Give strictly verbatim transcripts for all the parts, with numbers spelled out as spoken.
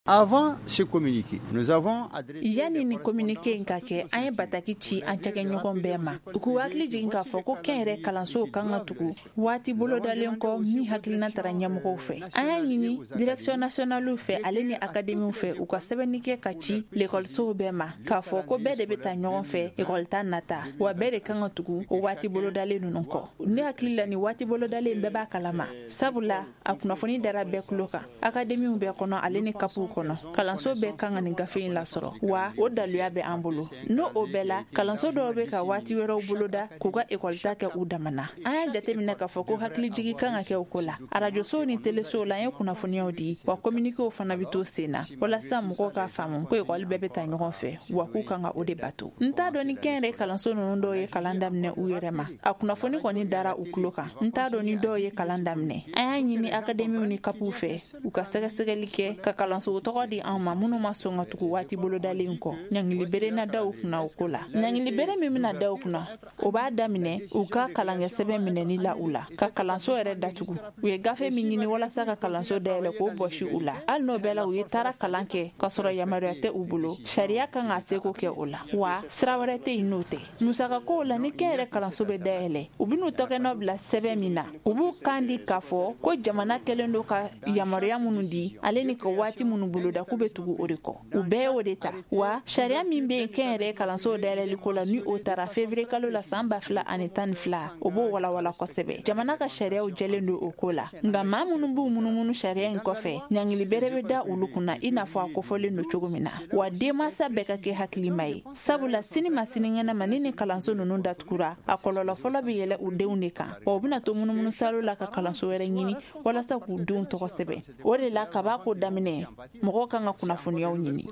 Avant ce communiqué, nous avons adressé Yanni ni communiqué in ka kɛ, an ye bataki ci an cakɛɲɔgɔn bɛɛ ma, u k'u hakili jigin k'a fɔ ko kɛnyɛrɛ kalansow kan ka tugu waati bolodalen kɔ min hakilina tara ɲɛmɔgɔw fɛ. An y'a ɲini direction nationale fɛ, ale ni akademiw fɛ, u ka sɛbɛnni kɛ ka ci lekɔlisow bɛɛ ma k'a fɔ ko bɛɛ de bɛ ta ɲɔgɔn fɛ ekɔli ta nata, wa bɛɛ de kan ka tugu o waati bolodalen ninnu kɔ. Ne hakili la, ni waati bolodalen bɛɛ b'a kalama, sabula a kunnafoni dara bɛɛ tulo kan. Akademiw bɛɛ kɔnɔ, ale ni kapuw kɔnɔ, kalanso bɛɛ kan ka nin gafe in lasɔrɔ, wa o daluya bɛ an bolo. N'o o bɛɛ la, kalanso dɔw bɛ ka waati wɛrɛw boloda k'u ka ekɔlita kɛ u damana. An y'a jateminɛ k'a fɔ ko hakilijigi kan ka kɛ o ko la. Arajosow ni telesow la, an ye kunnafoniyaw di, wa communiquéw fana bɛ to sen na walasa mɔgɔw k'a faamu ko ekɔli bɛɛ bɛ ta ɲɔgɔn fɛ, wa k'u kan ka o de bato. N t'a dɔn ni kɛnyɛrɛ kalanso ninnu dɔw ye kalan daminɛ u yɛrɛ ma. A kunnafoni kɔni dara u tulo kan. N t'a dɔn ni dɔw ye kalan daminɛ. An y'a ɲini akademiw ni kapuw fɛ, u ka sɛgɛsɛgɛli kɛ ka kalanso tɔgɔ di anw ma minnu ma sɔn ka tugu waati bolodalen kɔ. Ɲangili bere na da u kunna o ko la. Ɲangili bere min bɛna da u kunna, o b'a daminɛ u ka kalankɛ sɛbɛn minɛni la u la, ka kalanso yɛrɛ datugu. U ye gafe min ɲini walasa ka kalanso dayɛlɛ, k'o bɔsi u la, hali n'o bɛɛ la u ye taara kalan kɛ k'a sɔrɔ yamaruya tɛ u bolo, sariya kan k'a seko kɛ o la, wa sira wɛrɛ tɛ yen n'o tɛ. Musakakow la, ni kɛnyɛrɛ kalanso bɛ dayɛlɛ, u bɛn'u tɔgɔnɔ bila sɛbɛn min na, u b'u kan di k'a fɔ ko jamana kɛlen don ka yamaruya minnu di, ale ni ka waati minnu boloda, k'u bɛ tugu o de kɔ. U bɛɛ y'o de ta, wa sariya min bɛ yen kɛnyɛrɛ kalansow dayɛlɛli ko la, ni o taara février kalo la san ba fila ani tan ni fila, o b'o walawala kosɛbɛ. Jamana ka sariyaw jɛlen don o ko la, nka maa minnu b'u munumunu sariya in kɔfɛ, ɲangili bere bɛ da olu kunna, i n'a fɔ a kofɔlen don cogo min na. Wa denmansa bɛɛ ka kɛ hakilima ye, sabula sini ma sinikɛnɛ ma, ni ni kalanso ninnu datugura, a kɔlɔlɔ fɔlɔ bɛ yɛlɛ u denw de kan, wa u bɛna to munumunu salo la ka kalanso wɛrɛ ɲini walasa k'u denw tɔgɔ sɛbɛn. O de la, kaba ko daminɛ, mɔgɔw kan ka kunnafoniyaw ɲini.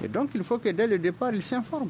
Et donc il faut que dès le départ, ils s'informent.